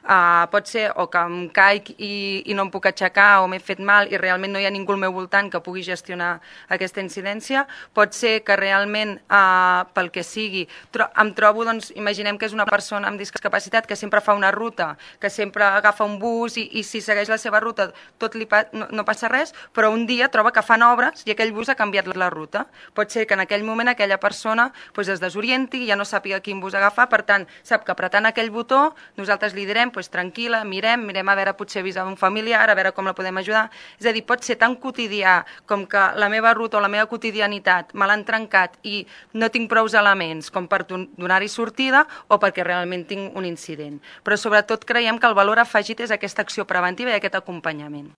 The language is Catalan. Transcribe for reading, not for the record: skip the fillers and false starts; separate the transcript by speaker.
Speaker 1: Pot ser o que em caic i no em puc aixecar o m'he fet mal i realment no hi ha ningú al meu voltant que pugui gestionar aquesta incidència. Pot ser que realment, pel que sigui, em trobo, doncs, imaginem que és una persona amb discapacitat que sempre fa una ruta, que sempre agafa un bus i si segueix la seva ruta no passa res, però un dia troba que fan obres i aquell bus ha canviat la ruta. Pot ser que en aquell moment aquella persona es desorienti, ja no sàpiga quin bus agafar, per tant, sap que apretant aquell botó nosaltres li direm, tranquil·la, mirem a veure, potser avisar un familiar, a veure com la podem ajudar. És a dir, pot ser tan quotidià com que la meva ruta o la meva quotidianitat me l'han trencat i no tinc prous elements com per donar-hi sortida o perquè realment tinc un incident. Però sobretot creiem que el valor afegit és aquesta acció preventiva i aquest acompanyament.